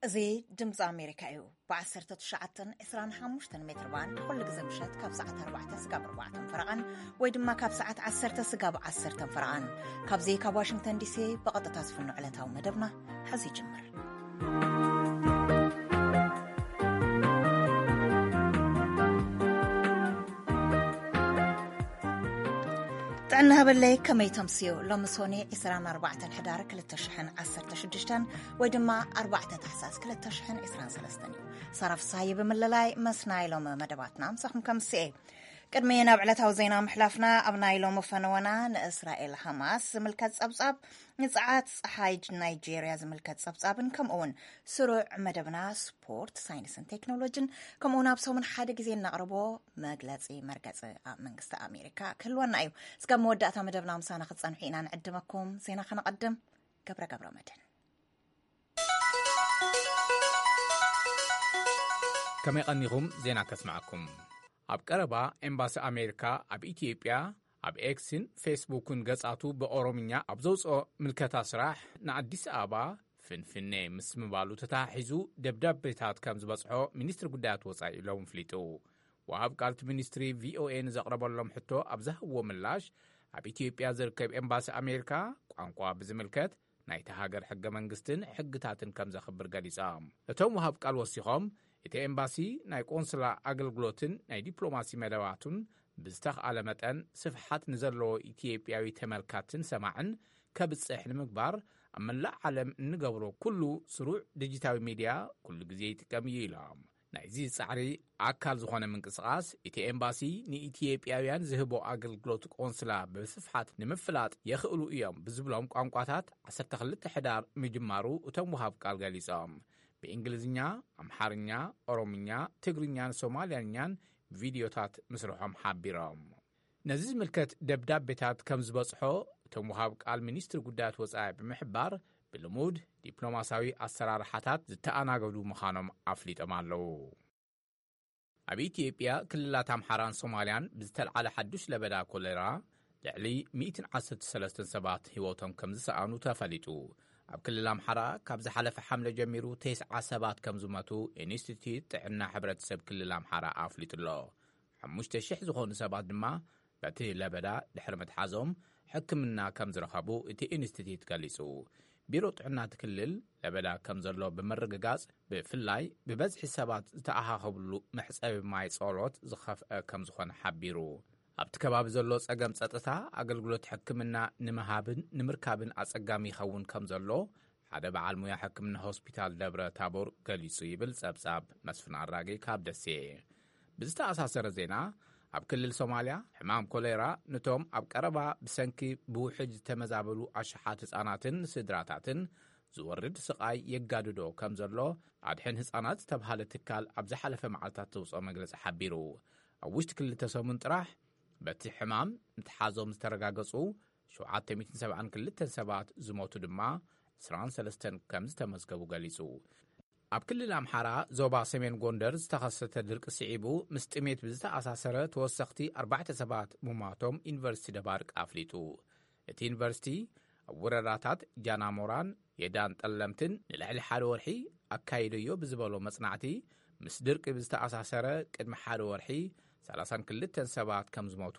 እዚ ድምፂ ኣሜሪካ እዩ። ብ1925 ሜትር ባንድ ኩሉ ግዜ ምሸት ካብ ሰዓት 4 ስጋብ 4 ፈረቓን ወይ ድማ ካብ ሰዓት 10 ስጋብ 10 ፈረቓን ካብዚ ካብ ዋሽንግተን ዲሲ ብቐጥታ ዝፍኖ ዕለታዊ መደብና ሕዚ ይጅምር። ጥዕና ሃበለይ፣ ከመይ ተምስዮ? ሎሚ ሶኒ 24 ሕዳር 2016 ወይ ድማ 4 ታሕሳስ 2023 እዩ። ሳራ ፍስሃየ ብምልላይ ምስ ናይ ሎሚ መደባትና ምሳኹም ከምስኤ። ቅድሚ ናብ ዕለታዊ ዜና ምሕላፍና፣ ኣብ ናይ ሎሚ ፈነወና ንእስራኤል ሃማስ ዝምልከት ጸብጻብ፣ ንጸዓት ጸሓይ ናይጄርያ ዝምልከት ጸብጻብን ከምኡውን ስሩዕ መደብና ስፖርት፣ ሳይንስን ቴክኖሎጂን ከምኡውን ኣብ ሰሙን ሓደ ግዜ እናቕርቦ መግለጺ መርገጺ ኣብ መንግስቲ ኣሜሪካ ክህልወና እዩ። እስከ መወዳእታ መደብና ምሳና ክትጸንሑ ኢና ንዕድመኩም። ዜና ከነቐድም። ገብረ ገብረ መድህን። ከመይ ቀኒኹም? ዜና ከስምዓኩም። ኣብ ቀረባ ኤምባሲ ኣሜሪካ ኣብ ኢትዮጵያ ኣብ ኤክስን ፌስቡክን ገጻቱ ብኦሮምኛ ኣብ ዘውፅኦ ምልከታ ስራሕ ንኣዲስ ኣበባ ፍንፍኔ ምስ ምባሉ ተተሓሒዙ ደብዳቤታት ከም ዝበጽሖ ሚኒስትሪ ጉዳያት ወጻኢ ሎም ፍሊጡ። ወሃብ ቃልቲ ሚኒስትሪ ቪኦኤ ንዘቕረበሎም ሕቶ ኣብ ዝሃብዎ ምላሽ፣ ኣብ ኢትዮጵያ ዝርከብ ኤምባሲ ኣሜሪካ ቋንቋ ብዝምልከት ናይቲ ሃገር ሕገ መንግስትን ሕግታትን ከም ዘኽብር ገሊጾም። እቶም ወሃብ ቃል ወሲኾም፣ እቲ ኤምባሲ ናይ ቆንስላ ኣገልግሎትን ናይ ዲፕሎማሲ መደባቱን ብዝተኽኣለ መጠን ስፍሓት ንዘለዎ ኢትዮጵያዊ ተመልካትን ሰማዕን ከብጽሕ ንምግባር ኣብ መላእ ዓለም እንገብሮ ኩሉ ስሩዕ ዲጂታዊ ሚድያ ኩሉ ግዜ ይጥቀም እዩ ኢሎም። ናይዚ ጻዕሪ ኣካል ዝኾነ ምንቅስቓስ እቲ ኤምባሲ ንኢትዮጵያውያን ዝህቦ ኣገልግሎት ቆንስላ ብስፍሓት ንምፍላጥ የኽእሉ እዮም ብዝብሎም ቋንቋታት 12 ሕዳር ምጅማሩ እቶም ወሃብ ቃል ገሊጾም። ብእንግሊዝኛ፣ ኣምሓርኛ፣ ኦሮምኛ፣ ትግርኛን ሶማልያኛን ቪድዮታት ምስርሖም ሓቢሮም። ነዚ ዝምልከት ደብዳቤታት ከም ዝበጽሖ እቶም ወሃብ ቃል ሚኒስትሪ ጉዳያት ወጻኢ ብምሕባር፣ ብልሙድ ዲፕሎማሲያዊ ኣሰራርሓታት ዝተኣናገዱ ምዃኖም ኣፍሊጦም ኣለዉ። ኣብ ኢትዮጵያ ክልላት ኣምሓራን ሶማልያን ብዝተልዓለ ሓዱሽ ለበዳ ኮሌራ ልዕሊ 113 ሰባት ህይወቶም ከም ዝሰኣኑ ተፈሊጡ። ኣብ ክልል ኣምሓራ ካብ ዝሓለፈ ሓምለ ጀሚሩ ተስዓ ሰባት ከም ዝሞቱ ኢንስቲትዩት ጥዕና ሕብረተሰብ ክልል ኣምሓራ ኣፍሊጡ ኣሎ። 5,000 ዝኾኑ ሰባት ድማ በቲ ለበዳ ድሕሪ ምትሓዞም ሕክምና ከም ዝረኸቡ እቲ ኢንስቲትዩት ገሊጹ። ቢሮ ጥዕና እቲ ክልል ለበዳ ከም ዘሎ ብምርግጋጽ፣ ብፍላይ ብበዝሒ ሰባት ዝተኣኻኸብሉ መሕጸቢ ማይ ጸሎት ዝኸፍአ ከም ዝኾነ ሓቢሩ። ኣብቲ ከባቢ ዘሎ ጸገም ጸጥታ ኣገልግሎት ሕክምና ንምሃብን ንምርካብን ኣጸጋሚ ይኸውን ከም ዘሎ ሓደ በዓል ሙያ ሕክምና ሆስፒታል ደብረ ታቦር ገሊጹ ይብል ጸብጻብ መስፍን ኣራጌ ካብ ደሴ። ብዝተኣሳሰረ ዜና፣ ኣብ ክልል ሶማልያ ሕማም ኮሌራ ነቶም ኣብ ቀረባ ብሰንኪ ብውሕጅ ዝተመዛበሉ ኣሽሓት ህጻናትን ስድራታትን ዝወርድ ስቓይ የጋድዶ ከም ዘሎ ኣድሕን ህጻናት ዝተብሃለ ትካል ኣብ ዝሓለፈ መዓልታት ዘውፅኦ መግለጺ ሓቢሩ። ኣብ ውሽጢ ክልተ ሰሙን ጥራሕ በቲ ሕማም ምትሓዞም ዝተረጋገጹ 772 ሰባት፣ ዝሞቱ ድማ 23 ከም ዝተመዝገቡ ገሊጹ። ኣብ ክልል ኣምሓራ ዞባ ሰሜን ጎንደር ዝተኸሰተ ድርቂ ስዒቡ ምስ ጥሜት ብዝተኣሳሰረ ተወሰኽቲ ኣርባዕተ ሰባት ምሟቶም ዩኒቨርሲቲ ደባርቅ ኣፍሊጡ። እቲ ዩኒቨርሲቲ ኣብ ወረዳታት ጃናሞራን የዳን ጠለምትን ንልዕሊ ሓደ ወርሒ ኣካይደዮ ብዝበሎ መጽናዕቲ፣ ምስ ድርቂ ብዝተኣሳሰረ ቅድሚ ሓደ ወርሒ 32 ሰባት ከም ዝሞቱ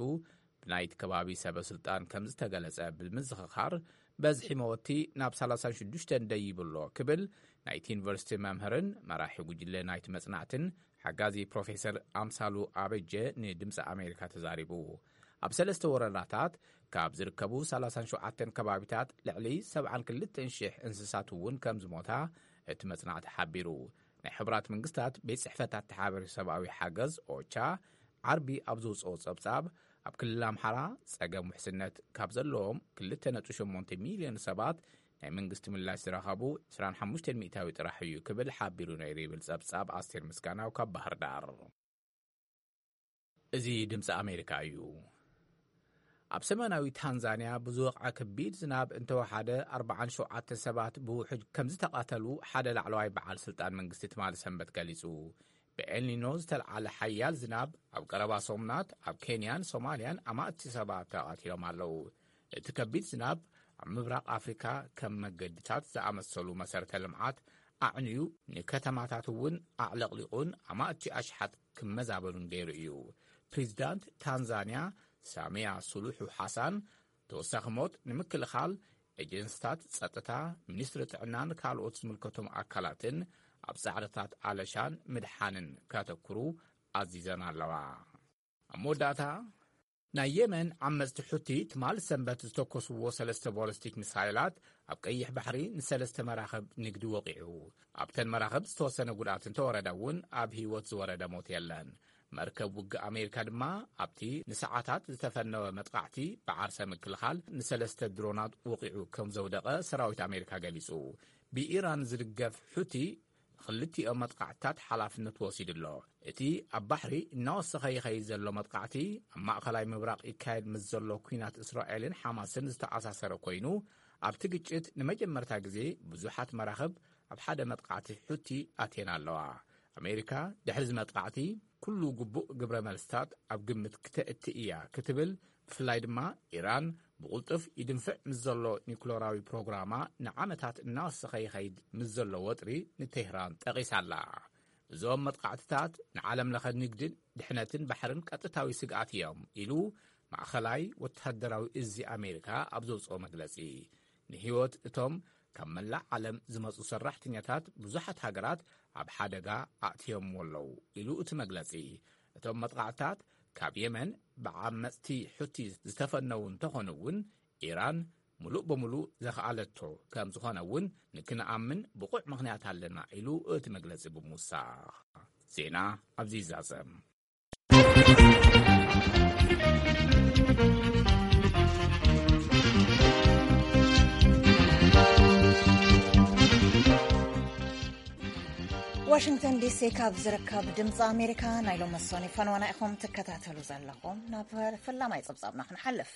ብናይቲ ከባቢ ሰበ ስልጣን ከም ዝተገለጸ ብምዝኽኻር፣ በዝሒ መወቲ ናብ 36 ደይብሎ ክብል ናይቲ ዩኒቨርሲቲ መምህርን መራሒ ጉጅለ ናይቲ መጽናዕትን ሓጋዚ ፕሮፌሰር ኣምሳሉ ኣበጀ ንድምፂ ኣሜሪካ ተዛሪቡ። ኣብ ሰለስተ ወረዳታት ካብ ዝርከቡ 37 ከባቢታት ልዕሊ 72,000 እንስሳት እውን ከም ዝሞታ እቲ መጽናዕቲ ሓቢሩ። ናይ ሕቡራት መንግስታት ቤት ጽሕፈት ኣተሓባባሪ ሰብኣዊ ሓገዝ ኦቻ ዓርቢ ኣብ ዘውፅኦ ጸብጻብ፣ ኣብ ክልል ኣምሓራ ጸገም ውሕስነት ካብ ዘለዎም 2.8 ሚልዮን ሰባት ናይ መንግስቲ ምላሽ ዝረኸቡ 25% ጥራሕ እዩ ክብል ሓቢሩ ነይሩ ይብል ጸብጻብ ኣስቴር ምስጋናው ካብ ባህር ዳር። እዚ ድምፂ ኣሜሪካ እዩ። ኣብ ሰሜናዊ ታንዛንያ ብዝወቕዐ ከቢድ ዝናብ እንተወሓደ 47 ሰባት ብውሕጅ ከም ዝተቐተሉ ሓደ ላዕለዋይ በዓል ስልጣን መንግስቲ ትማሊ ሰንበት ገሊጹ። ብኤልኒኖ ዝተልዓለ ሓያል ዝናብ ኣብ ቀረባ ሰሙናት ኣብ ኬንያን ሶማልያን ኣማእቲ ሰባት ተቐቲሎም ኣለዉ። እቲ ከቢድ ዝናብ ኣብ ምብራቕ ኣፍሪካ ከም መገድታት ዝኣመሰሉ መሰረተ ልምዓት ኣዕንዩ፣ ንከተማታት እውን ኣዕለቕሊቑን ኣማእቲ ኣሽሓት ክመዛበሉን ገይሩ እዩ። ፕሬዚዳንት ታንዛንያ ሳሚያ ሱሉሑ ሓሳን ተወሳኺ ሞት ንምክልኻል ኤጀንስታት ጸጥታ፣ ሚኒስትሪ ጥዕናን ካልኦት ዝምልከቶም ኣካላትን ኣብ ጻዕርታት ኣለሻን ምድሓንን ከተኩሩ ኣዚዘን ኣለዋ። ኣብ መወዳእታ፣ ናይ የመን ዓመጽቲ ሑቲ ትማል ሰንበት ዝተኮስዎ ሰለስተ ቦለስቲክ ሚሳይላት ኣብ ቀይሕ ባሕሪ ንሰለስተ መራኽብ ንግዲ ወቒዑ። ኣብተን መራኽብ ዝተወሰነ ጉድኣት እንተወረደ እውን ኣብ ህይወት ዝወረደ ሞት የለን። መርከብ ውግእ ኣሜሪካ ድማ ኣብቲ ንሰዓታት ዝተፈነወ መጥቃዕቲ ብዓርሰ ምክልኻል ንሰለስተ ድሮናት ወቒዑ ከም ዘውደቐ ሰራዊት ኣሜሪካ ገሊጹ። ብኢራን ዝድገፍ ሑቲ ክልቲኦም መጥቃዕትታት ሓላፍነት ወሲዱ ኣሎ። እቲ ኣብ ባሕሪ እናወሰኸ ይኸይድ ዘሎ መጥቃዕቲ፣ ኣብ ማእኸላይ ምብራቕ ይካየድ ምስ ዘሎ ኲናት እስራኤልን ሓማስን ዝተኣሳሰረ ኮይኑ፣ ኣብቲ ግጭት ንመጀመርታ ግዜ ብዙሓት መራኽብ ኣብ ሓደ መጥቃዕቲ ሑቲ ኣትየን ኣለዋ። ኣሜሪካ ድሕሪ እዚ መጥቃዕቲ ኩሉ ግቡእ ግብረ መልስታት ኣብ ግምት ክተእቲ እያ ክትብል፣ ብፍላይ ድማ ኢራን ብቕልጡፍ ይድንፍዕ ምስ ዘሎ ኒኩለራዊ ፕሮግራማ ንዓመታት እናወሰኸ ይኸይድ ምስ ዘሎ ወጥሪ ንቴህራን ጠቒሳ ኣላ። እዞም መጥቃዕትታት ንዓለም ለኸ ንግድን ድሕነትን ባሕርን ቀጥታዊ ስግኣት እዮም ኢሉ ማእኸላይ ወተሃደራዊ እዚ ኣሜሪካ ኣብ ዘውፅኦ መግለፂ። ንህይወት እቶም ካብ መላእ ዓለም ዝመፁ ሰራሕተኛታት ብዙሓት ሃገራት ኣብ ሓደጋ ኣእትዮምዎ ኣለዉ ኢሉ እቲ መግለፂ። እቶም መጥቃዕትታት ካብ የመን ብዓመፅቲ ሑቲ ዝተፈነዉ እንተኾኑ እውን፣ ኢራን ሙሉእ በሙሉ ዘኽኣለቶ ከም ዝኾነ እውን ንክንኣምን ብቑዕ ምኽንያት ኣለና ኢሉ እቲ መግለፂ ብምውሳኽ። ዜና ኣብዚ ይዛዘም። ዋሽንግተን ዲሲ ካብ ዝርከብ ድምፂ ኣሜሪካ ናይ ሎሚ ሰኑይ ፈንዋና ኢኹም ትከታተሉ ዘለኹም። ናብ ፈላማይ ፀብፃብና ክንሓልፍ።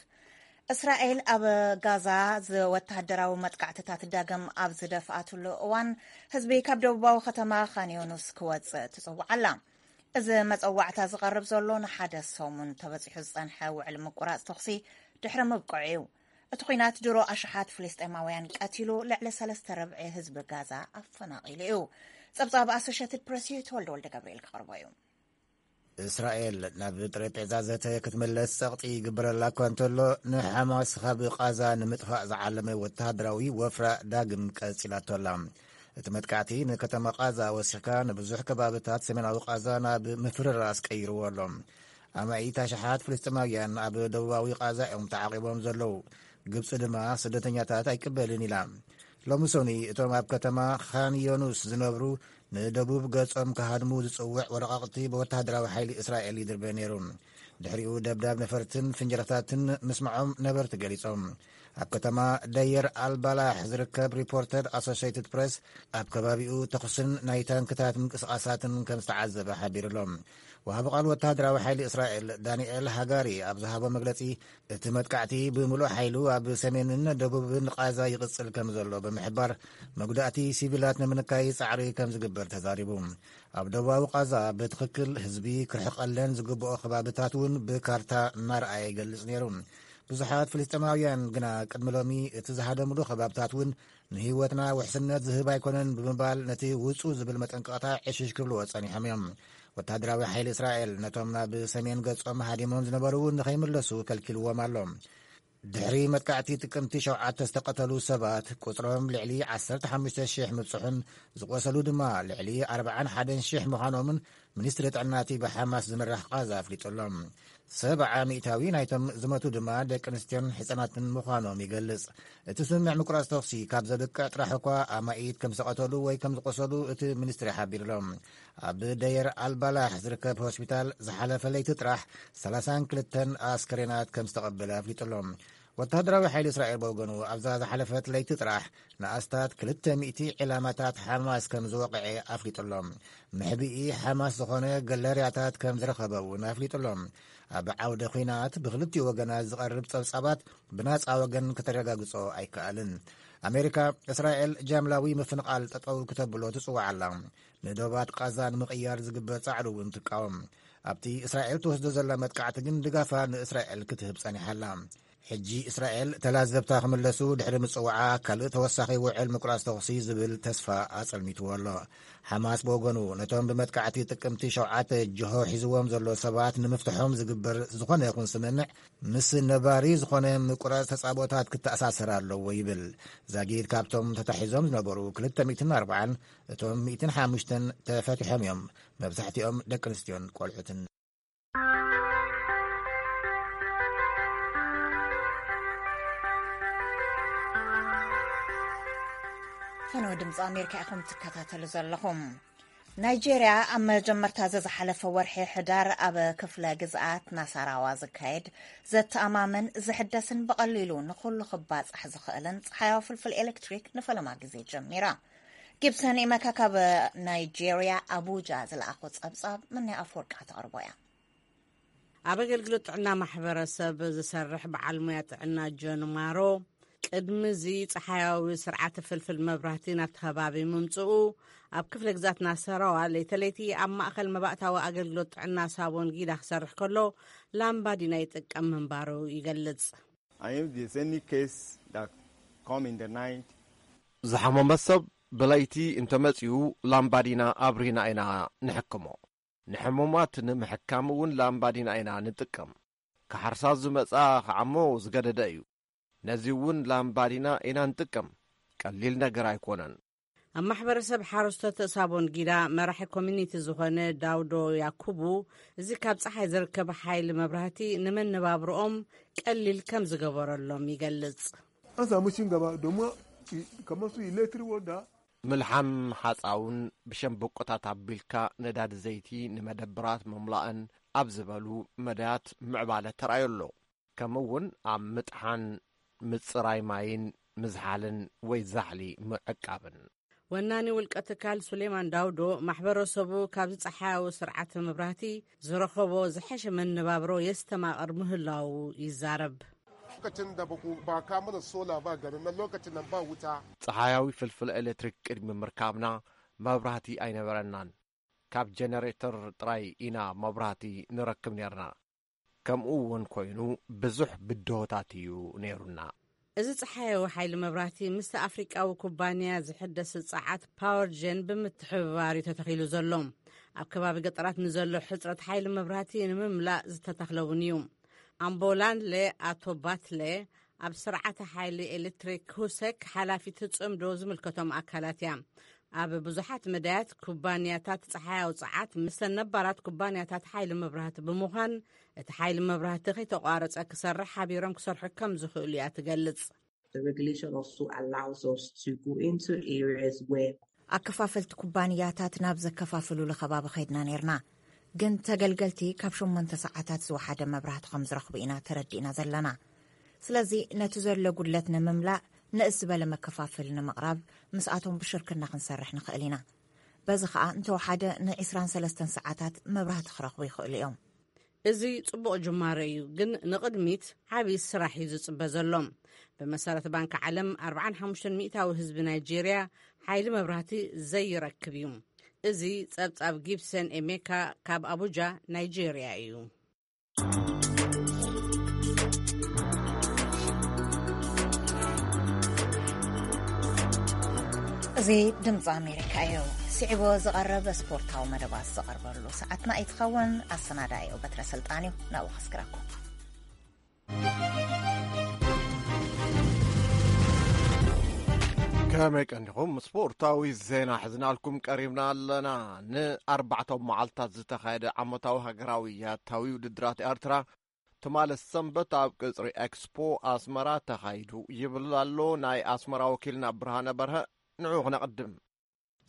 እስራኤል ኣብ ጋዛ ዝወተሃደራዊ መጥቃዕትታት ዳግም ኣብ ዝደፍኣትሉ እዋን፣ ህዝቢ ካብ ደቡባዊ ከተማ ካን ዮኑስ ክወፅእ ትፅውዕ ኣላ። እዚ መፀዋዕታ ዝቐርብ ዘሎ ንሓደ ሰሙን ተበፂሑ ዝፀንሐ ውዕል ምቁራፅ ተኹሲ ድሕሪ ምብቅዑ እዩ። እቲ ኲናት ድሮ ኣሽሓት ፍልስጤማውያን ቀቲሉ፣ ልዕሊ ሰለስተ ርብዒ ህዝቢ ጋዛ ኣፈናቒሉ እዩ። ጸብጻብ ኣሶሼትድ ፕረስ እዩ፣ ተወልደ ወልደ ገብርኤል ክቐርቦ እዩ። እስራኤል ናብ ጠረጴዛ ዘተ ክትምለስ ጸቕጢ ይግበረላ እኳ እንተሎ፣ ንሓማስ ካብ ቃዛ ንምጥፋእ ዝዓለመ ወተሃደራዊ ወፍራ ዳግም ቀጺላቶ ኣላ። እቲ መጥቃዕቲ ንከተማ ቃዛ ወሲኽካ ንብዙሕ ከባብታት ሰሜናዊ ቃዛ ናብ ምፍርራስ ቀይርዎ ኣሎ። ኣማኢት ኣሽሓት ፍልስጤማውያን ኣብ ደቡባዊ ቃዛ እዮም ተዓቂቦም ዘለዉ። ግብጺ ድማ ስደተኛታት ኣይቅበልን ኢላ። ሎሚ ሰኑይ እቶም ኣብ ከተማ ካን ዮኑስ ዝነብሩ ንደቡብ ገጾም ክሃድሙ ዝጽውዕ ወረቓቕቲ ብወተሃደራዊ ሓይሊ እስራኤል ይድርበ ነይሩ። ድሕሪኡ ደብዳብ ነፈርትን ፍንጀራታትን ምስምዖም ነበርቲ ገሊጾም። ኣብ ከተማ ደየር ኣልባላሕ ዝርከብ ሪፖርተር ኣሶሽየትድ ፕሬስ ኣብ ከባቢኡ ተኹስን ናይ ታንክታት ምንቅስቓሳትን ከም ዝተዓዘበ ሓቢሩ ኣሎ። ወሃቢ ቃል ወተሃደራዊ ሓይሊ እስራኤል ዳንኤል ሃጋሪ ኣብ ዝሃቦ መግለጺ፣ እቲ መጥቃዕቲ ብምሉእ ሓይሉ ኣብ ሰሜንን ደቡብን ቃዛ ይቕጽል ከም ዘሎ ብምሕባር፣ መጉዳእቲ ሲቪላት ንምንካይ ጻዕሪ ከም ዝግበር ተዛሪቡ። ኣብ ደቡባዊ ቃዛ ብትኽክል ህዝቢ ክርሕቐለን ዝግብኦ ከባብታት እውን ብካርታ እናረኣየ ይገልጽ ነይሩ። ብዙሓት ፍልስጤማውያን ግና ቅድሚ ሎሚ እቲ ዝሃደምሉ ከባብታት እውን ንህይወትና ውሕስነት ዝህብ ኣይኮነን ብምባል ነቲ ውጹ ዝብል መጠንቀቕታ ዕሽሽ ክብልዎ ጸኒሖም እዮም። ወተሃደራዊ ሓይሊ እስራኤል ነቶም ናብ ሰሜን ገጾም ሃዲሞም ዝነበሩ እውን ንኸይምለሱ ከልኪልዎም ኣሎ። ድሕሪ መጥቃዕቲ ጥቅምቲ ሸውዓተ ዝተቐተሉ ሰባት ቁጽሮም ልዕሊ ዓሰርተ ሓሙሽተ ሽሕ ምብጽሑን ዝቆሰሉ ድማ ልዕሊ ኣርባዓን ሓደን ሽሕ ምዃኖምን ሚኒስትሪ ጥዕና እቲ ብሓማስ ዝምራሕ ቃዛ ኣፍሊጡ ኣሎ። ሰብዓ ሚእታዊ ናይቶም ዝሞቱ ድማ ደቂ ኣንስትዮን ህጻናትን ምዃኖም ይገልጽ። እቲ ስምምዕ ምቁራጽ ተኹሲ ካብ ዘብቅዕ ጥራሕ እኳ ኣማኢት ከም ዝተቐተሉ ወይ ከም ዝቆሰሉ እቲ ሚኒስትሪ ሓቢሩ ኣሎ። ኣብ ደየር ኣልባላሕ ዝርከብ ሆስፒታል ዝሓለፈ ለይቲ ጥራሕ ሰላሳን ክልተን ኣስከሬናት ከም ዝተቐበለ ኣፍሊጡ ኣሎ። ወተሃደራዊ ሓይሊ እስራኤል ብወገኑ ኣብዛ ዝሓለፈት ለይቲ ጥራሕ ንኣስታት ክልተ ሚእቲ ዕላማታት ሓማስ ከም ዝወቕዐ ኣፍሊጡ ኣሎ። መሕብኢ ሓማስ ዝኾነ ገለርያታት ከም ዝረኸበ እውን ኣፍሊጡ ኣሎ። ኣብ ዓውደ ኲናት ብክልቲኡ ወገናት ዝቐርብ ጸብጻባት ብናጻ ወገን ከተረጋግጾ ኣይከኣልን። ኣሜሪካ፣ እስራኤል ጃምላዊ ምፍንቓል ጠጠው ክተብሎ ትጽውዕ ኣላ። ንዶባት ቃዛ ንምቕያር ዝግበር ጻዕሪ እውን ትቃወም። ኣብቲ እስራኤል ትወስዶ ዘላ መጥቃዕቲ ግን ድጋፋ ንእስራኤል ክትህብ ጸኒሓ ኣላ። ሕጂ እስራኤል ተላዘብታ ክምለሱ ድሕሪ ምጽዋዓ፣ ካልእ ተወሳኺ ውዕል ምቁራጽ ተኹሲ ዝብል ተስፋ ኣጸልሚትዎ ኣሎ። ሓማስ ብወገኑ፣ ነቶም ብመጥቃዕቲ ጥቅምቲ ሸውዓተ ጅሆ ሒዝዎም ዘሎ ሰባት ንምፍትሖም ዝግበር ዝኾነ ይኹን ስምምዕ ምስ ነባሪ ዝኾነ ምቁራጽ ተጻብኦታት ክተኣሳሰር ኣለዎ ይብል። ዛጊድ ካብቶም ተታሒዞም ዝነበሩ ክልተ ሚእትን ኣርባዓን፣ እቶም ሚእትን ሓሙሽተን ተፈቲሖም እዮም። መብዛሕትኦም ደቂ ኣንስትዮን ቆልዑትን። ፈነወ ድምፂ ኣሜሪካ ኢኹም ትከታተሉ ዘለኹም። ናይጄርያ ኣብ መጀመርታ ዘዝሓለፈ ወርሒ ሕዳር ኣብ ክፍለ ግዝኣት ናሳራዋ ዝካየድ ዘተኣማምን ዝሕደስን ብቐሊሉ ንኹሉ ክባጻሕ ዝኽእልን ጸሓያዊ ፍልፍል ኤሌክትሪክ ንፈለማ ግዜ ጀሚራ። ጊብሰን ኢመካ ካብ ናይጄርያ ኣቡጃ ዝለኣኾ ጸብጻብ ምንያ ኣፈወርቂ ከተቕርቦ እያ። ኣብ ኣገልግሎት ጥዕና ማሕበረሰብ ዝሰርሕ በዓል ሞያ ጥዕና ጆን ማሮ፣ ቅድሚ እዚ ጸሓያዊ ስርዓተ ፍልፍል መብራህቲ ናብቲ ከባቢ ምምጽኡ፣ ኣብ ክፍለ ግዛት ናሰራዋ ለይተለይቲ ኣብ ማእከል መባእታዊ ኣገልግሎት ጥዕና ሳቦን ጊዳ ክሰርሕ ከሎ ላምባዲና ይጥቀም ምንባሩ ይገልጽ። And if there's any case that come in the night, ዝሓመመ ሰብ ብለይቲ እንተመጺኡ ላምባዲና ኣብሪና ኢና ንሕክሞ። ንሕሙማት ንምሕካም እውን ላምባዲና ኢና ንጥቀም። ክሓርሳ ዝመጻ ክዓሞ ዝገደደ እዩ። ነዚ እውን ላምባዲና ኢና ንጥቀም። ቀሊል ነገር ኣይኮነን። ኣብ ማሕበረሰብ ሓረስቶት ሳቦን ጊዳ መራሒ ኮሚኒቲ ዝኾነ ዳውዶ ያኩቡ፣ እዚ ካብ ጸሓይ ዝርከብ ሓይሊ መብራህቲ ንመነባብሮኦም ቀሊል ከም ዝገበረሎም ይገልጽ። An samu cin gaba domin kamar su electric wanda. ምልሓም ሓጻውን ብሸምበቆታት ኣቢልካ ነዳዲ ዘይቲ ንመደብራት ምምላእን ኣብ ዝበሉ መዳያት ምዕባለ ተራእዮ ኣሎ። ከምኡ እውን ኣብ ምጥሓን፣ ምጽራይ ማይን ምዝሓልን ወይ ዛሕሊ ምዕቃብን። ወናኒ ውልቀ ትካል ሱሌማን ዳውዶ፣ ማሕበረሰቡ ካብዚ ጸሓያዊ ስርዓተ መብራህቲ ዝረኸቦ ዝሐሸ መነባብሮ የስተማቕር ምህላዉ ይዛረብ። Lokacin da ba ku- ba ka mana sola ba garin nan, lokacin nan ba wuta. ጸሓያዊ ፍልፍል ኤሌክትሪክ ቅድሚ ምርካብና መብራህቲ ኣይነበረናን። ካብ ጀነሬተር ጥራይ ኢና መብራህቲ ንረክብ ኔርና። ከምኡ እውን ኮይኑ ብዙሕ ብድሆታት እዩ ነይሩና። እዚ ጸሓያዊ ሓይሊ መብራህቲ ምስቲ ኣፍሪቃዊ ኩባንያ ዝሕደስ ጸዓት ፓወር ጀን ብምትሕብባር እዩ ተተኺሉ ዘሎ። ኣብ ከባቢ ገጠራት ንዘሎ ሕጽረት ሓይሊ መብራህቲ ንምምላእ ዝተተኽለ እውን እዩ። ኣምቦላንለ ኣቶባትለ ኣብ ስርዓተ ሓይሊ ኤሌክትሪክ ሁሰክ ሓላፊት ጽምዶ ዝምልከቶም ኣካላት እያ። ኣብ ብዙሓት መዳያት ኩባንያታት ጸሓያዊ ጸዓት ምስተን ነባራት ኩባንያታት ሓይሊ መብራህቲ ብምዃን እቲ ሓይሊ መብራህቲ ከይተቋረጸ ክሰርሕ ሓቢሮም ክሰርሑ ከም ዝኽእሉ እያ ትገልጽ። The regulation also allows us to go into areas where ኣከፋፈልቲ ኩባንያታት ናብ ዘከፋፍሉሉ ከባቢ ኸይድና ነይርና፣ ግን ተገልገልቲ ካብ ሸሞንተ ሰዓታት ዝወሓደ መብራህቲ ከም ዝረኽቡ ኢና ተረዲእና ዘለና። ስለዚ ነቲ ዘሎ ጉድለት ንምምላእ ንእስ ዝበለ መከፋፈሊ ንምቕራብ ምስኣቶም ብሽርክና ክንሰርሕ ንኽእል ኢና። በዚ ኸኣ እንተወሓደ ን ዒስራን ሰለስተን ሰዓታት መብራህቲ ክረኽቡ ይኽእሉ እዮም። እዚ ጽቡቕ ጅማሮ እዩ፣ ግን ንቕድሚት ዓቢ ስራሕ እዩ ዝጽበ ዘሎ። ብመሰረት ባንክ ዓለም ኣርባዓን ሓሙሽተን ሚእታዊ ህዝቢ ናይጄርያ ሓይሊ መብራህቲ ዘይረክብ እዩ። እዚ ጸብጻብ ጊብሰን ኤሜካ ካብ ኣቡጃ ናይጄርያ እዩ። እዚ ድምፂ ኣሜሪካ እዩ። ስዒቡ ዝቐርብ ስፖርታዊ መደባት ዝቐርበሉ ሰዓትና ይትኸውን። ኣሰናዳኢኡ በትረ ስልጣን እዩ። ናብኡ ከስግረኩም። ከመይ ቀኒኹም? ስፖርታዊ ዜና ሒዝናልኩም ቀሪብና ኣለና። ንኣርባዕተ መዓልታት ዝተኻየደ ዓመታዊ ሃገራዊ ያታዊ ውድድራት ኤርትራ ትማሊ ሰንበት ኣብ ቅጽሪ ኤክስፖ ኣስመራ ተኻይዱ ይብል ኣሎ ናይ ኣስመራ ወኪልና ብርሃነ በርሀ። ንዑ ክነቕድም።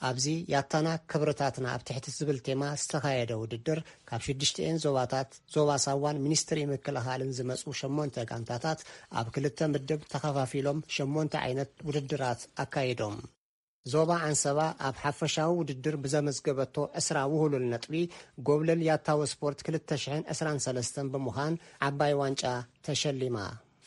ኣብዚ ያታና ክብርታትና ኣብ ትሕቲ ዝብል ቴማ ዝተኻየደ ውድድር ካብ ሽዱሽተኤን ዞባታት፣ ዞባ ሳዋን ሚኒስትሪ ምክልኻልን ዝመጹ ሸሞንተ ጋንታታት ኣብ ክልተ ምድብ ተኸፋፊሎም ሸሞንተ ዓይነት ውድድራት ኣካይዶም። ዞባ ዓንሰባ ኣብ ሓፈሻዊ ውድድር ብዘመዝገበቶ ዕስራ ውህሉል ነጥቢ ጎብለል ያታዊ ስፖርት ክልተ ሽሕን ዕስራን ሰለስተን ብምዃን ዓባይ ዋንጫ ተሸሊማ።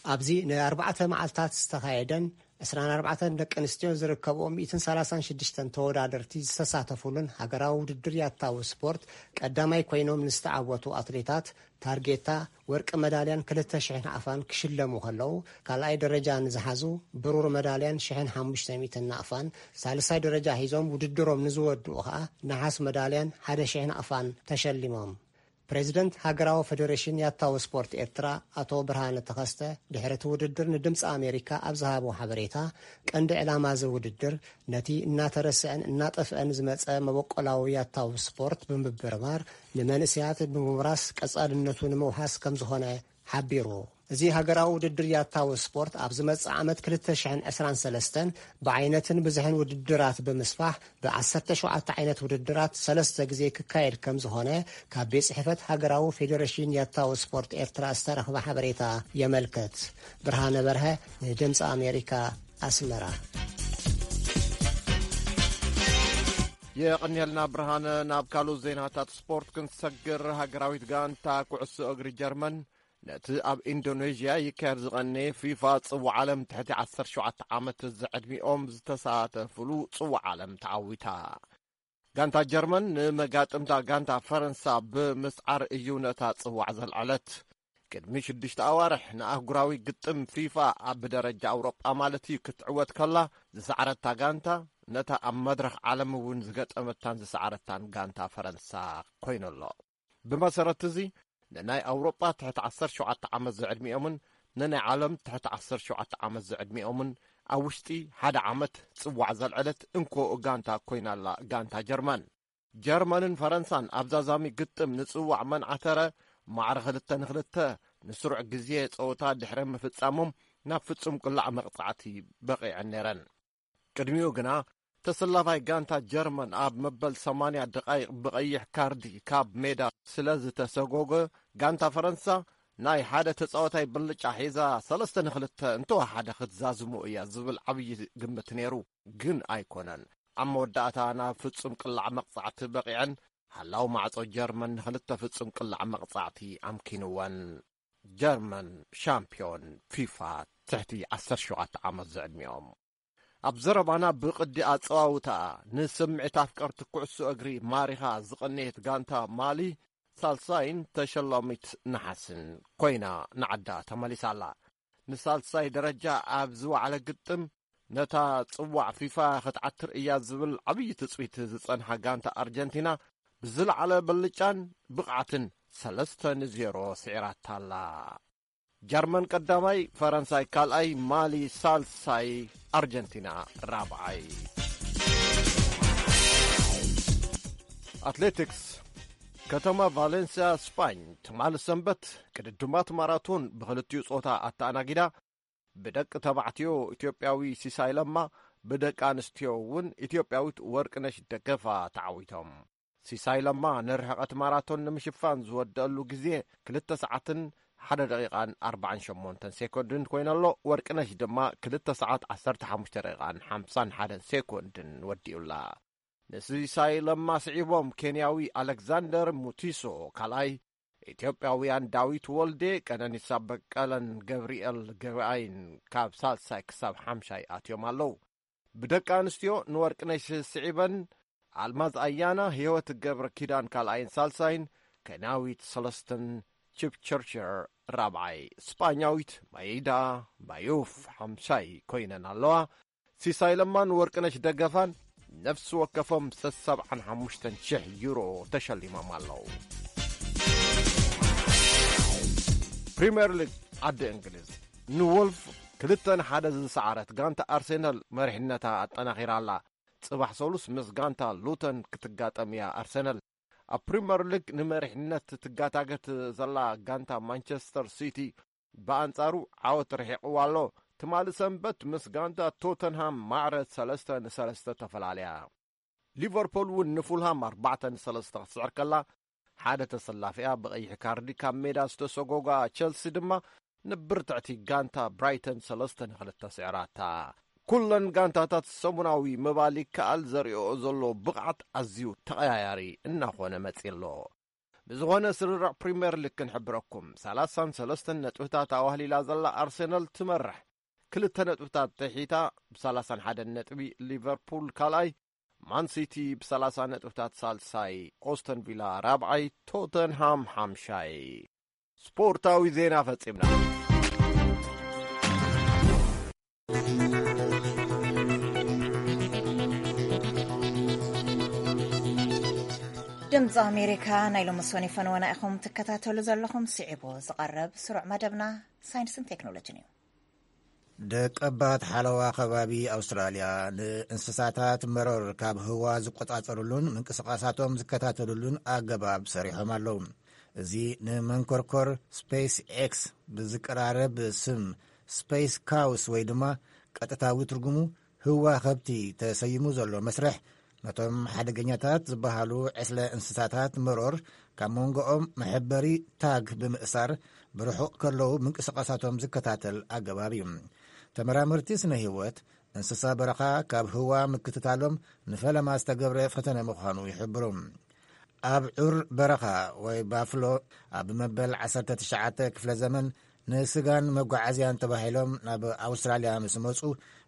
ኣብዚ ንኣርባዕተ መዓልታት ዝተኻየደን ዕስራን ኣርባዕተን ደቂ ኣንስትዮ ዝርከብኦ ሚእትን ሰላሳን ሽዱሽተን ተወዳደርቲ ዝተሳተፉሉን ሃገራዊ ውድድር ያታዊ ስፖርት ቀዳማይ ኮይኖም ንዝተዓወቱ ኣትሌታት ታርጌታ ወርቂ መዳልያን ክልተ ሽሕን ኣፋን ክሽለሙ ከለዉ፣ ካልኣይ ደረጃ ንዝሓዙ ብሩር መዳልያን ሽሕን ሓሙሽተ ሚእትን ናቕፋን፣ ሳልሳይ ደረጃ ሒዞም ውድድሮም ንዝወድኡ ኸኣ ነሓስ መዳልያን ሓደ ሽሕን ኣፋን ተሸሊሞም። ፕሬዚደንት ሃገራዊ ፌዴሬሽን ያታዊ ስፖርት ኤርትራ ኣቶ ብርሃነ ተኸስተ ድሕሪ እቲ ውድድር ንድምፂ ኣሜሪካ ኣብ ዝሃቦ ሓበሬታ፣ ቀንዲ ዕላማ እዚ ውድድር ነቲ እናተረስዐን እናጠፍአን ዝመጸ መበቆላዊ ያታዊ ስፖርት ብምብርባር ንመንእሰያት ብምውራስ ቀጻልነቱ ንምውሓስ ከም ዝኾነ ሓቢሩ። እዚ ሃገራዊ ውድድር ያታዊ ስፖርት ኣብ ዝመጽእ ዓመት ክልተ ሽሕን ዕስራን ሰለስተን ብዓይነትን ብዝሕን ውድድራት ብምስፋሕ ብ ዓሰርተ ሸውዓተ ዓይነት ውድድራት ሰለስተ ግዜ ክካየድ ከም ዝኾነ ካብ ቤት ጽሕፈት ሃገራዊ ፌዴሬሽን ያታዊ ስፖርት ኤርትራ ዝተረኽበ ሓበሬታ የመልክት። ብርሃነ በርሀ ንድምፂ ኣሜሪካ ኣስመራ። የቐንየልና ብርሃነ። ናብ ካልኡ ዜናታት ስፖርት ክንሰግር፣ ሃገራዊት ጋንታ ኩዕሶ እግሪ ጀርመን ነቲ ኣብ ኢንዶኔዥያ ይካየድ ዝቐነየ ፊፋ ጽዋዕ ዓለም ትሕቲ ዓሰርተ ሸውዓተ ዓመት ዝዕድሚኦም ዝተሳተፍሉ ጽዋዕ ዓለም ተዓዊታ። ጋንታ ጀርመን ንመጋጥምታ ጋንታ ፈረንሳ ብምስዓር እዩ ነታ ጽዋዕ ዘልዐለት። ቅድሚ ሽዱሽተ ኣዋርሕ ንኣህጉራዊ ግጥም ፊፋ ኣብ ደረጃ ኣውሮጳ ማለት እዩ ክትዕወት ከላ ዝሰዓረታ ጋንታ ነታ ኣብ መድረኽ ዓለም እውን ዝገጠመታን ዝሰዓረታን ጋንታ ፈረንሳ ኮይኑሎ። ብመሰረት እዚ ንናይ ኣውሮጳ ትሕቲ ዓሰርተ ሸውዓተ ዓመት ዝዕድሚኦምን ንናይ ዓለም ትሕቲ ዓሰርተ ሸውዓተ ዓመት ዝዕድሚኦምን ኣብ ውሽጢ ሓደ ዓመት ጽዋዕ ዘልዐለት እንኮ ጋንታ ኮይናላ ጋንታ ጀርመን። ጀርመንን ፈረንሳን ኣብ ዛዛሚ ግጥም ንጽዋዕ መንዓተረ ማዕረ ክልተ ንክልተ ንስሩዕ ግዜ ጸወታ ድሕሪ ምፍጻሞም ናብ ፍጹም ቅላዕ መቕጻዕቲ በቒዐን ነይረን። ቅድሚኡ ግና ተሰላፋይ ጋንታ ጀርመን ኣብ መበል ሰማንያ ደቓይቕ ብቐይሕ ካርዲ ካብ ሜዳ ስለ ዝተሰጎገ፣ ጋንታ ፈረንሳ ናይ ሓደ ተጻዋታይ ብልጫ ሒዛ ሰለስተ ንክልተ እንተወሓደ ክትዛዝሞ እያ ዝብል ዓብዪ ግምት ነይሩ። ግን ኣይኮነን። ኣብ መወዳእታ ናብ ፍጹም ቅላዕ መቕጻዕቲ በቒዐን፣ ሓላው ማዕጾ ጀርመን ንክልተ ፍጹም ቅላዕ መቕጻዕቲ ኣምኪንወን። ጀርመን ሻምፒዮን ፊፋ ትሕቲ ዓሰርተ ሸውዓተ ዓመት ዝዕድሚኦም። ኣብ ዘረባና ብቕዲ ኣጸዋውታኣ ንስምዒት ኣፍቀርቲ ኩዕሶ እግሪ ማሪኻ ዝቐነየት ጋንታ ማሊ ሳልሳይን ተሸላሚት ነሓስን ኮይና ንዓዳ ተመሊሳ ኣላ። ንሳልሳይ ደረጃ ኣብ ዝወዓለ ግጥም ነታ ጽዋዕ ፊፋ ክትዓትር እያ ዝብል ዓብዪ ትጽቢት ዝጸንሓ ጋንታ ኣርጀንቲና ብዝለዓለ ብልጫን ብቕዓትን ሰለስተ ንዜሮ ስዒራታ ኣላ። ጀርመን ቀዳማይ፣ ፈረንሳይ ካልኣይ፣ ማሊ ሳልሳይ፣ ኣርጀንቲና ራብዓይ። ኣትሌቲክስ። ከተማ ቫሌንሲያ ስፓኝ ትማሊ ሰንበት ቅድድማት ማራቶን ብክልቲኡ ጾታ ኣተኣናጊዳ ብደቂ ተባዕትዮ ኢትዮጵያዊ ሲሳይ ለማ፣ ብደቂ ኣንስትዮ እውን ኢትዮጵያዊት ወርቅነሽ ደገፋ ተዓዊቶም። ሲሳይ ለማ ንርሕቐት ማራቶን ንምሽፋን ዝወደአሉ ግዜ ክልተ ሰዓትን ሓደ ደቂቓን ኣርባዓን ሸሞንተን ሴኮንድን ኮይነሎ፣ ወርቅነሽ ድማ ክልተ ሰዓት ዓሰርተ ሓሙሽተ ደቂቓን ሓምሳን ሓደን ሴኮንድን ወዲኡላ። ንሲሳይ ለማ ስዒቦም ኬንያዊ ኣሌክዛንደር ሙቲሶ ካልኣይ፣ ኢትዮጵያውያን ዳዊት ወልዴ፣ ቀነኒሳ በቀለን ገብርኤል ገበኣይን ካብ ሳልሳይ ክሳብ ሓምሻይ ኣትዮም ኣለዉ። ብደቂ ኣንስትዮ ንወርቅነሽ ስዒበን ኣልማዝ ኣያና፣ ህይወት ገብረ ኪዳን ካልኣይን ሳልሳይን፣ ኬንያዊት ሰለስተን ቺፕቸርቸር ራብዓይ፣ ስጳኛዊት ማይዳ ማዩፍ ሓምሻይ ኮይነን ኣለዋ። ሲሳይ ለማን ወርቅነሽ ደገፋን ነፍሲ ወከፎም ሰብዓን ሓሙሽተን ሽሕ ዩሮ ተሸሊሞም ኣለዉ። ፕሪምየር ሊግ ዓዲ እንግሊዝ፣ ንወልፍ ክልተ ንሓደ ዝሰዓረት ጋንታ ኣርሴናል መሪሕነታ ኣጠናኺራ ኣላ። ጽባሕ ሰሉስ ምስ ጋንታ ሉተን ክትጋጠም እያ ኣርሰናል። ኣብ ፕሪምየር ሊግ ንመሪሕነት ትጋታገት ዘላ ጋንታ ማንቸስተር ሲቲ ብኣንጻሩ ዓወት ርሒቕዋ ኣሎ። ትማሊ ሰንበት ምስ ጋንታ ቶተንሃም ማዕረ ሰለስተ ንሰለስተ ተፈላለያ። ሊቨርፑል እውን ንፉልሃም ኣርባዕተ ንሰለስተ ክትስዕር ከላ፣ ሓደ ተሰላፊኣ ብቐይሕ ካርዲ ካብ ሜዳ ዝተሰጎጋ ቸልሲ ድማ ንብርትዕቲ ጋንታ ብራይተን ሰለስተ ንክልተ ስዕራታ። ኩለን ጋንታታት ሰሙናዊ ምባል ይከኣል፣ ዘርእኦ ዘሎ ብቕዓት ኣዝዩ ተቐያያሪ እናኾነ መጺ ኣሎ። ብዝኾነ ስርርዕ ፕሪምየር ሊግ ክንሕብረኩም፣ ሰላሳን ሰለስተን ነጥብታት ኣዋህሊላ ዘላ ኣርሴናል ትመርሕ። ክልተ ነጥብታት ትሒታ ብ31 ነጥቢ፣ ሊቨርፑል ካልኣይ፣ ማን ሲቲ ብ30 ነጥብታት ሳልሳይ፣ ኦስተን ቪላ ራብዓይ፣ ቶተንሃም ሓምሻይ። ስፖርታዊ ዜና ፈጺምና። ድምፂ ኣሜሪካ ናይ ሎሚ ሰኑይ ፈነወና ኢኹም ትከታተሉ ዘለኹም። ስዒቡ ዝቐርብ ስሩዕ መደብና ሳይንስን ቴክኖሎጂን እዩ። ደቀባት ሓለዋ ከባቢ ኣውስትራልያ ንእንስሳታት መረር ካብ ህዋ ዝቆጻጸሩሉን ምንቅስቓሳቶም ዝከታተሉሉን ኣገባብ ሰሪሖም ኣለዉ። እዚ ንመንኮርኮር ስፔስ ኤክስ ብዝቀራረብ ስም ስፔስ ካውስ ወይ ድማ ቀጥታዊ ትርጉሙ ህዋ ከብቲ ተሰይሙ ዘሎ መስርሕ፣ ነቶም ሓደገኛታት ዝበሃሉ ዕስለ እንስሳታት መሮር ካብ መንጎኦም መሐበሪ ታግ ብምእሳር ብርሑቕ ከለዉ ምንቅስቓሳቶም ዝከታተል ኣገባብ እዩ። ተመራመርቲ ስነ ህይወት እንስሳ በረኻ ካብ ህዋ ምክትታሎም ንፈለማ ዝተገብረ ፈተነ ምዃኑ ይሕብሩ። ኣብ ዑር በረኻ ወይ ባፍሎ ኣብ መበል ዓሰርተ ትሽዓተ ክፍለ ዘመን ንስጋን መጓዓዝያን ተባሂሎም ናብ ኣውስትራልያ ምስ መጹ፣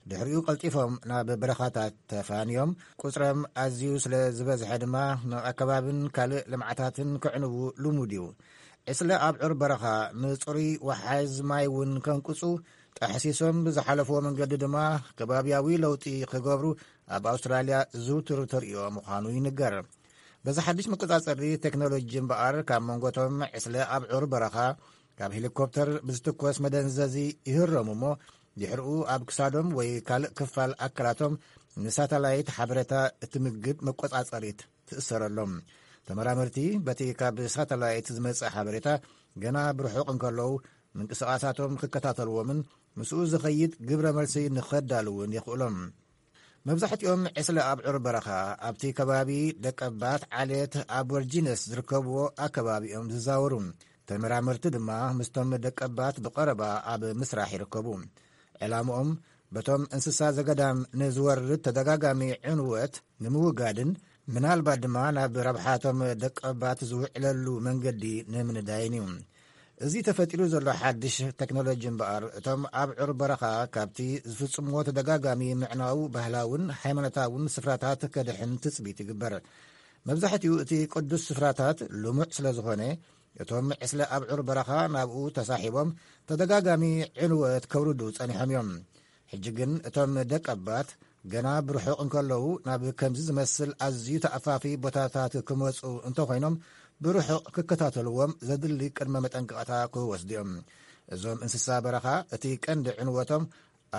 ድሕሪኡ ቀልጢፎም ናብ በረኻታት ተፋንዮም። ቁጽሮም ኣዝዩ ስለ ዝበዝሐ ድማ ንኣከባብን ካልእ ልምዓታትን ክዕንዉ ልሙድ እዩ። ዕስለ ኣብ ዑር በረኻ ንጽሩይ ወሓዝ ማይ እውን ከንቅጹ ጠሕሲሶም ብዝሓለፍዎ መንገዲ ድማ ከባብያዊ ለውጢ ክገብሩ ኣብ ኣውስትራልያ ዝውቱር ተርእዮ ምዃኑ ይንገር። በዚ ሓድሽ መቆጻጸሪ ቴክኖሎጂ እምበኣር ካብ መንጎቶም ዕስለ ኣብ ዑር በረኻ ካብ ሄሊኮፕተር ብዝትኮስ መደንዘዚ ይህረሙ እሞ ድሕሪኡ ኣብ ክሳዶም ወይ ካልእ ክፋል ኣካላቶም ንሳተላይት ሓበሬታ እትምግብ መቆጻጸሪት ትእሰረሎም። ተመራመርቲ በቲ ካብ ሳተላይት ዝመጽእ ሓበሬታ ገና ብርሑቕ እንከለዉ ምንቅስቓሳቶም ክከታተልዎምን ምስኡ ዝኸይድ ግብረ መልሲ ንኸዳልውን የኽእሎም። መብዛሕትኦም ዕስለ ኣብ ዑር በረኻ ኣብቲ ከባቢ ደቀባት ዓሌት ኣቦርጂነስ ዝርከብዎ ኣከባቢ እዮም ዝዛወሩ። ተመራመርቲ ድማ ምስቶም ደቀባት ብቐረባ ኣብ ምስራሕ ይርከቡ። ዕላምኦም በቶም እንስሳ ዘገዳም ንዝወርድ ተደጋጋሚ ዕንወት ንምውጋድን ምናልባት ድማ ናብ ረብሓቶም ደቀባት ዝውዕለሉ መንገዲ ንምንዳይን እዩ። እዚ ተፈጢሩ ዘሎ ሓድሽ ቴክኖሎጂ እምበኣር እቶም ኣብ ዑር በረኻ ካብቲ ዝፍጽምዎ ተደጋጋሚ ምዕናው ባህላውን ሃይማኖታውን ስፍራታት ከድሕን ትጽቢት ይግበር። መብዛሕትኡ እቲ ቅዱስ ስፍራታት ልሙዕ ስለ ዝኾነ እቶም ዕስለ ኣብ ዑር በረኻ ናብኡ ተሳሒቦም ተደጋጋሚ ዕንወት ከውርዱ ጸኒሖም እዮም። ሕጂ ግን እቶም ደቀባት ገና ብርሑቕ እንከለዉ ናብ ከምዚ ዝመስል ኣዝዩ ተኣፋፊ ቦታታት ክመጹ እንተኾይኖም ብርሑቕ ክከታተልዎም ዘድሊ ቅድመ መጠንቀቕታ ክወስዱ እዮም። እዞም እንስሳ በረኻ እቲ ቀንዲ ዕንወቶም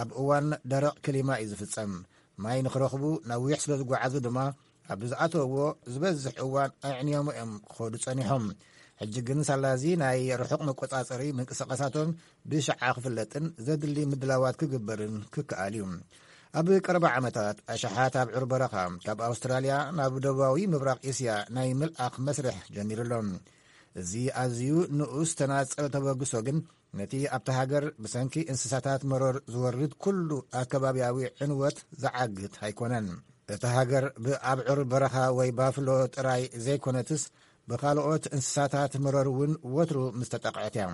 ኣብ እዋን ደረቕ ክሊማ እዩ ዝፍጸም። ማይ ንኽረኽቡ ነዊሕ ስለ ዝጓዓዙ ድማ ኣብ ዝኣተውዎ ዝበዝሕ እዋን ኣዕንዮም እዮም ክኸዱ ጸኒሖም። ሕጂ ግን ሳላዚ ናይ ርሑቕ መቆጻጸሪ ምንቅስቓሳቶም ብሽዓ ክፍለጥን ዘድሊ ምድላዋት ክግበርን ክከኣል እዩ። ኣብ ቀረባ ዓመታት ኣሽሓት ኣብ ዑር በረኻ ካብ ኣውስትራልያ ናብ ደቡባዊ ምብራቕ እስያ ናይ ምልኣኽ መስርሕ ጀሚሩ ኣሎ። እዚ ኣዝዩ ንኡስ ተናጸል ተበግሶ ግን ነቲ ኣብታ ሃገር ብሰንኪ እንስሳታት መሮር ዝወርድ ኩሉ ኣከባብያዊ ዕንወት ዝዓግት ኣይኮነን። እታ ሃገር ብኣብዑር በረኻ ወይ ባፍሎ ጥራይ ዘይኮነትስ ብኻልኦት እንስሳታት መሮር እውን ወትሩ ምስ ተጠቕዐት እያ።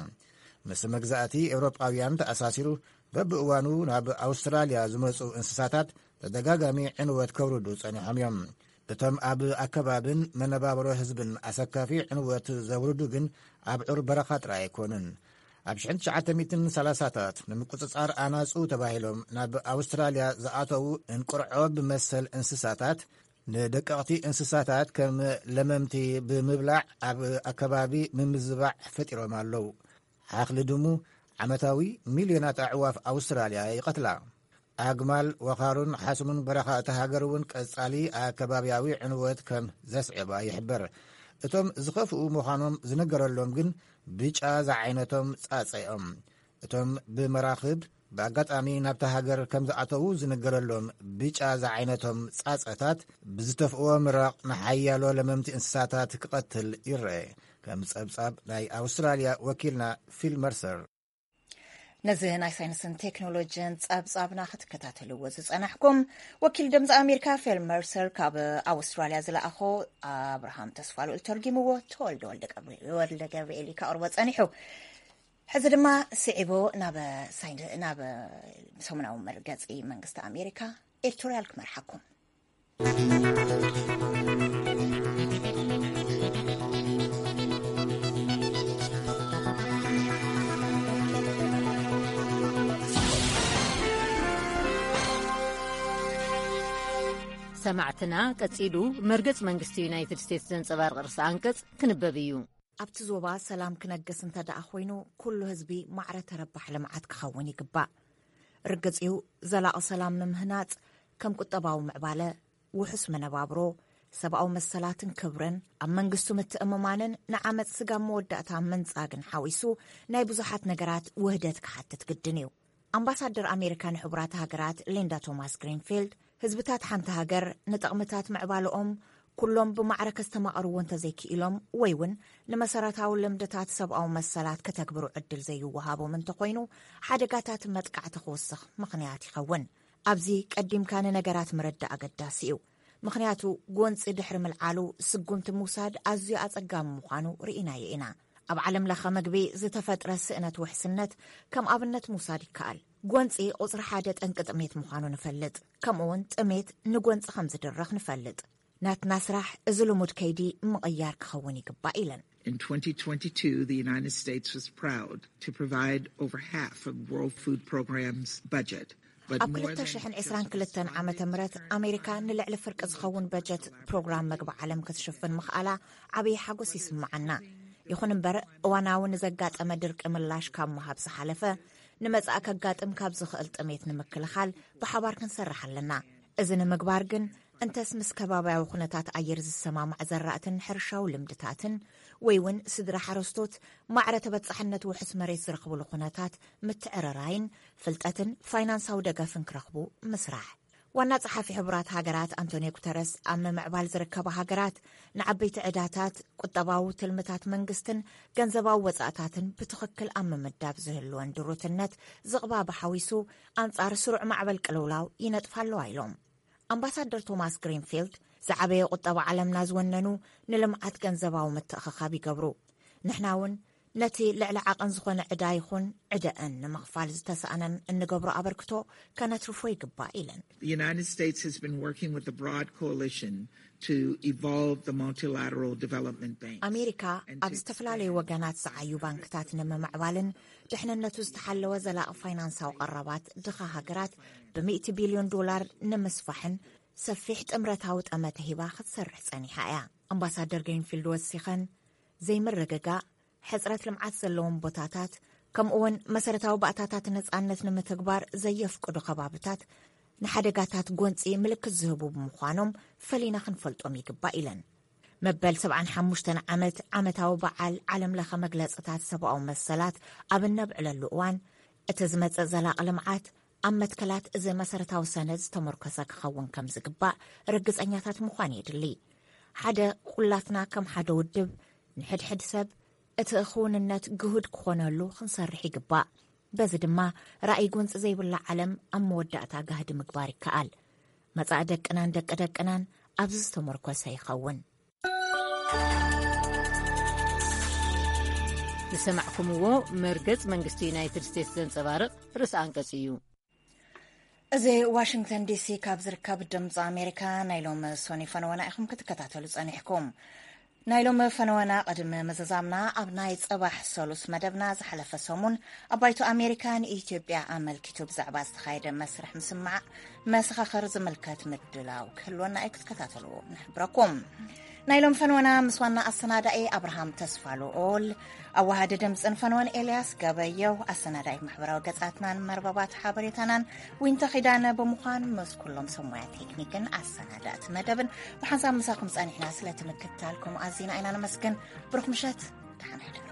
ምስ መግዛእቲ ኤውሮጳውያን ተኣሳሲሩ በብእዋኑ ናብ ኣውስትራልያ ዝመጹ እንስሳታት ተደጋጋሚ ዕንወት ከውርዱ ጸኒሖም እዮም። እቶም ኣብ ኣከባብን መነባብሮ ህዝብን ኣሰካፊ ዕንወት ዘውርዱ ግን ኣብ ዑር በረኻ ጥራይ ኣይኮኑን። ኣብ ሽሕን ትሽዓተ ሚእትን ሰላሳታት ንምቁጽጻር ኣናጹ ተባሂሎም ናብ ኣውስትራልያ ዝኣተዉ እንቅርዖ ብመሰል እንስሳታት ንደቀቕቲ እንስሳታት ከም ለመምቲ ብምብላዕ ኣብ ኣከባቢ ምምዝባዕ ፈጢሮም ኣለዉ። ሓኽሊ ድሙ ዓመታዊ ሚልዮናት ኣዕዋፍ ኣውስትራልያ ይቐትላ። ኣግማል፣ ወኻሩን ሓስሙን በረኻ እታ ሃገር እውን ቀጻሊ ኣከባብያዊ ዕንወት ከም ዘስዕባ ይሕበር። እቶም ዝኸፍኡ ምዃኖም ዝነገረሎም ግን ብጫ ዝዓይነቶም ጻጸ እዮም። እቶም ብመራኽብ ብኣጋጣሚ ናብታ ሃገር ከም ዝኣተዉ ዝነገረሎም ብጫ ዝዓይነቶም ጻጸታት ብዝተፍእዎ ምራቕ ንሓያሎ ለመምቲ እንስሳታት ክቐትል ይረአ። ከም ጸብጻብ ናይ ኣውስትራልያ ወኪልና ፊል መርሰር። ነዚ ናይ ሳይንስን ቴክኖሎጂን ጸብጻብና ክትከታተልዎ ዝጸናሕኩም፣ ወኪል ድምፂ ኣሜሪካ ፊል መርሰር ካብ ኣውስትራልያ ዝለኣኾ ኣብርሃም ተስፋልኡል ተርጊምዎ፣ ተወልደ ወልደ ገብርኤል እዩ ከቕርቦ ጸኒሑ። ሕዚ ድማ ስዒቡ ናብ ሳይን-፣ ናብ ሰሙናዊ መርገጺ መንግስቲ ኣሜሪካ ኤዲቶርያል ክመርሓኩም። ሰማዕትና፣ ቀጺሉ መርገጽ መንግስቲ ዩናይትድ ስቴትስ ዘንጸባርቕ ርእሰ ኣንቀጽ ክንበብ እዩ። ኣብቲ ዞባ ሰላም ክነግስ እንተ ደኣ ኮይኑ፣ ኩሉ ህዝቢ ማዕረ ተረባሕ ልምዓት ክኸውን ይግባእ። ርግጽ እዩ፣ ዘላቒ ሰላም ንምህናጽ፣ ከም ቁጠባዊ ምዕባለ፣ ውሑስ መነባብሮ፣ ሰብኣዊ መሰላትን ክብርን፣ ኣብ መንግስቱ ምትእምማንን ንዓመጽ ስጋብ መወዳእታ ምንጻግን ሓዊሱ፣ ናይ ብዙሓት ነገራት ውህደት ክሓትት ግድን እዩ። ኣምባሳደር ኣሜሪካ ንሕቡራት ሃገራት ሊንዳ ቶማስ ግሪንፊልድ፣ ህዝብታት ሓንቲ ሃገር ንጠቕምታት ምዕባለኦም ኩሎም ብማዕረ ከስተማቕርዎ እንተዘይክኢሎም፣ ወይ እውን ንመሰረታዊ ልምድታት ሰብኣዊ መሰላት ከተግብሩ ዕድል ዘይወሃቦም እንተኾይኑ፣ ሓደጋታት መጥቃዕቲ ክውስኽ ምኽንያት ይኸውን። ኣብዚ ቀዲምካ ንነገራት ምርዳእ ኣገዳሲ እዩ። ምኽንያቱ፣ ጎንጺ ድሕሪ ምልዓሉ ስጉምቲ ምውሳድ ኣዝዩ ኣጸጋሚ ምዃኑ ርኢናዮ ኢና። ኣብ ዓለም ለኸ መግቢ ዝተፈጥረ ስእነት ውሕስነት ከም ኣብነት ምውሳድ ይከኣል። ጎንጺ ቁጽሪ ሓደ ጠንቂ ጥሜት ምዃኑ ንፈልጥ። ከምኡ እውን ጥሜት ንጎንጺ ከም ዝድርኽ ንፈልጥ። ናትና ስራሕ እዚ ልሙድ ከይዲ ምቕያር ክኸውን ይግባእ ኢለን። In twenty twenty-two, the United States was proud to provide over half of World Food Program's budget. But ኣብ more than ክልተ ሽሕን ዕስራን ክልተን ዓመተ ምህረት ኣሜሪካ ንልዕሊ ፍርቂ ዝኸውን በጀት ፕሮግራም መግቢ ዓለም ክትሽፍን ምኽኣላ ዓብዪ ሓጎስ ይስምዓና። ይኹን እምበር፣ እዋናዊ ንዘጋጠመ ድርቂ ምላሽ ካብ ምሃብ ዝሓለፈ፣ ንመጻኢ ከጋጥም ካብ ዝኽእል ጥሜት ንምክልኻል ብሓባር ክንሰርሕ ኣለና። እዚ ንምግባር ግን፣ እንተስ ምስ ከባብያዊ ኩነታት ኣየር ዝሰማማዕ ዘራእትን ሕርሻዊ ልምድታትን፣ ወይ እውን ስድራ ሓረስቶት ማዕረ ተበጻሕነት ውሑስ መሬት ዝረኽብሉ ኩነታት ምትዕርራይን ፍልጠትን ፋይናንሳዊ ደገፍን ክረኽቡ ምስራሕ። ዋና ጸሓፊ ሕቡራት ሃገራት ኣንቶኒዮ ጉተረስ፣ ኣብ ምምዕባል ዝርከባ ሃገራት ንዓበይቲ ዕዳታት፣ ቁጠባዊ ትልምታት መንግስትን ገንዘባዊ ወጻእታትን ብትኽክል ኣብ ምምዳብ ዝህልወን ድሩትነት ዝቕባበ ሓዊሱ፣ ኣንጻር ስሩዕ ማዕበል ቅልውላው ይነጥፋ ኣለዋ ኢሎም። ኣምባሳደር ቶማስ ግሪንፊልድ፣ ዝዓበየ ቁጠባ ዓለምና ዝወነኑ ንልምዓት ገንዘባዊ ምትእኽኻብ ይገብሩ። ንሕና እውን ነቲ ልዕሊ ዓቐን ዝኾነ ዕዳ ይኹን ዕደአን ንምኽፋል ዝተሳእነን እንገብሮ ኣበርክቶ ከነትርፎ ይግባእ ኢለን። The United States has been working with a broad coalition to evolve the multilateral development banks. ኣሜሪካ ኣብ ዝተፈላለዩ ወገናት ዝዓዩ ባንክታት ንምምዕባልን ድሕንነቱ ዝተሓለወ ዘላቒ ፋይናንሳዊ ቀረባት ድኻ ሃገራት ብሚእቲ ቢልዮን ዶላር ንምስፋሕን ሰፊሕ ጥምረታዊ ጠመተ ሂባ ክትሰርሕ ጸኒሓ እያ። ኣምባሳደር ግሪንፊልድ ወሲኸን፣ ዘይምርግጋእ፣ ሕጽረት ልምዓት ዘለዎም ቦታታት፣ ከምኡውን መሰረታዊ ባእታታት ነጻነት ንምትግባር ዘየፍቅዱ ከባብታት ንሓደጋታት ጎንጺ ምልክት ዝህቡ ብምዃኖም ፈሊና ክንፈልጦም ይግባእ ኢለን። መበል ሰብዓን ሓሙሽተን ዓመት ዓመታዊ በዓል ዓለም ለኸ መግለጽታት ሰብኣዊ መሰላት ኣብ እነብዕለሉ እዋን፣ እቲ ዝመጽእ ዘላቒ ልምዓት ኣብ መትከላት እዚ መሰረታዊ ሰነድ ዝተመርኮሰ ክኸውን ከም ዝግባእ ርግጸኛታት ምዃን የድሊ። ሓደ ኩላትና ከም ሓደ ውድብ ንሕድሕድ ሰብ እቲ ክውንነት ግሁድ ክኾነሉ ክንሰርሕ ይግባእ። በዚ ድማ ራእይ ጎንጺ ዘይብላ ዓለም ኣብ መወዳእታ ጋህዲ ምግባር ይከኣል። መጻኢ ደቅናን ደቂ ደቅናን ኣብዚ ዝተመርኮሰ ይኸውን። ዝሰማዕኩምዎ መርገጽ መንግስቲ ዩናይትድ ስቴትስ ዘንጸባርቕ ርእሰ ኣንቀጽ እዩ። እዚ ዋሽንግተን ዲሲ ካብ ዝርከብ ድምፂ ኣሜሪካ ናይ ሎሚ ሶኒ ፈነወና ኢኹም ክትከታተሉ ጸኒሕኩም። ናይ ሎሚ ፈነወና ቅድሚ ምዝዛምና ኣብ ናይ ጽባሕ ሰሉስ መደብና ዝሓለፈ ሰሙን ኣብ ባይቶ ኣሜሪካ ንኢትዮጵያ ኣመልኪቱ ብዛዕባ ዝተኻየደ መስርሕ ምስማዕ መሰኻኽር ዝምልከት ምድላው ክህልወና እዩ ክትከታተሉ ንሕብረኩም። ናይ ሎም ፈንወና ምስ ዋና ኣሰናዳኢ ኣብርሃም ተስፋ ልኦል፣ ኣዋሃዲ ድምፅን ፈንወን ኤልያስ ገበየው፣ ኣሰናዳኢት ማሕበራዊ ገጻትናን መርበባት ሓበሬታናን ዊንታ ኺዳነ ብምዃን ምስ ኩሎም ሰብ ሞያ ቴክኒክን ኣሰናዳእቲ መደብን ብሓንሳብ ምሳኹም ጸኒሕና። ስለቲ ምክትታልኩም ኣዚና ኢና ነመስግን። ብሩኽ ምሸት፣ ደሓን ሕደሩ።